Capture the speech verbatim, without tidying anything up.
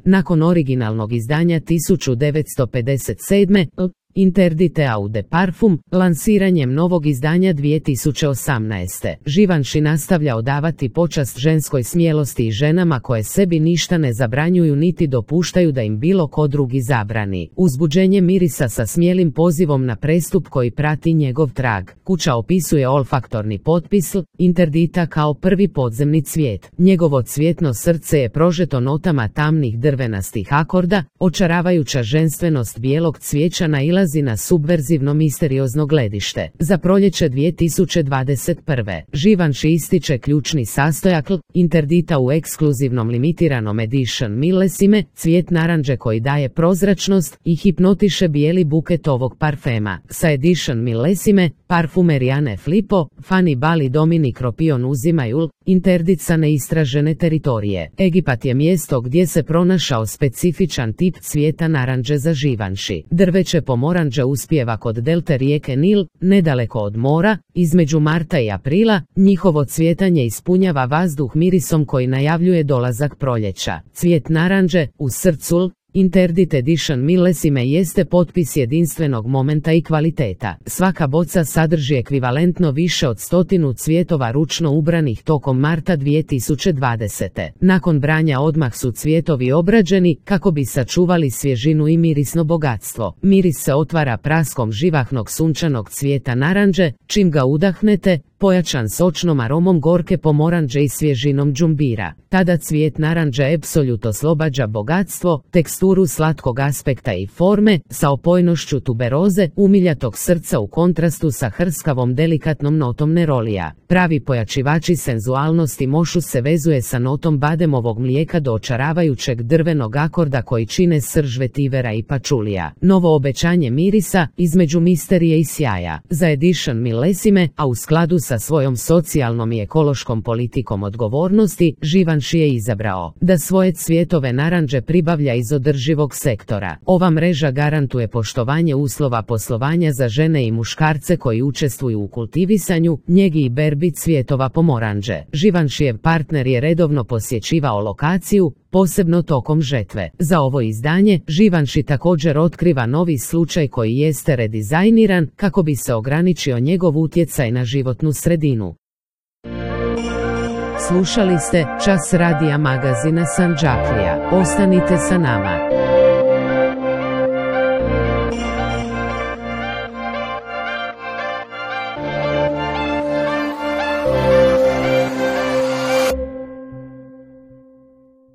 Nakon originalnog izdanja tisuću devetsto pedeset sedme. Interdite Eau de Parfum, lansiranjem novog izdanja dvije tisuće osamnaeste. Givenchy nastavlja odavati počast ženskoj smjelosti i ženama koje sebi ništa ne zabranjuju niti dopuštaju da im bilo ko drugi zabrani. Uzbuđenje mirisa sa smijelim pozivom na prestup koji prati njegov trag. Kuća opisuje olfaktorni potpis Interdita kao prvi podzemni cvijet. Njegovo cvjetno srce je prožeto notama tamnih drvenastih akorda, očaravajuća ženstvenost bijelog cvijeća nailazi na subverzivno misteriozno gledište. Za proljeće dvije tisuće dvadeset prve. Givenchy ističe ključni sastojak Interdita u ekskluzivnom limitiranom edition milesime, cvijet naranđe koji daje prozračnost i hipnotiše bijeli buket ovog parfema. Sa edition milesime, parfumeri Anne Filippo, Fanny Ball i Dominique Ropion uzimaju Interdit sa neistražene teritorije. Egipat je mjesto gdje se pronašao specifičan tip cvijeta naranđe za Givenchy. Drveće pomoranđe uspijeva kod delte rijeke Nil, nedaleko od mora, između marta i aprila. Njihovo cvjetanje ispunjava vazduh mirisom koji najavljuje dolazak proljeća. Cvijet naranđe u srcu Interdit Edition milesime jeste potpis jedinstvenog momenta i kvaliteta. Svaka boca sadrži ekvivalentno više od stotinu cvjetova ručno ubranih tokom marta dvije tisuće dvadesete. Nakon branja odmah su cvjetovi obrađeni kako bi sačuvali svježinu i mirisno bogatstvo. Miris se otvara praskom živahnog sunčanog cvijeta naranđe, čim ga udahnete, pojačan sočnom aromom gorke pomoranđe i svježinom džumbira. Tada cvijet naranđe apsolut oslobađa bogatstvo, teksturu slatkog aspekta i forme, sa opojnošću tuberoze, umiljatog srca u kontrastu sa hrskavom delikatnom notom nerolija. Pravi pojačivači senzualnosti mošu se vezuje sa notom bademovog mlijeka do očaravajućeg drvenog akorda koji čine srž vetivera i pačulija. Novo obećanje mirisa između misterije i sjaja. Za edition milesime, a u skladu sa svojom socijalnom i ekološkom politikom odgovornosti, Givenchy je izabrao da svoje cvjetove naranđe pribavlja iz održivog sektora. Ova mreža garantuje poštovanje uslova poslovanja za žene i muškarce koji učestvuju u kultivisanju, njegi i berbi cvjetova pomoranđe. Givenchyjev partner je redovno posjećivao lokaciju, posebno tokom žetve. Za ovo izdanje, Givenchy također otkriva novi slučaj koji jeste redizajniran kako bi se ograničio njegov utjecaj na životnu sredinu. Slušali ste Čas radija magazina Sanđaklija. Ostanite sa nama.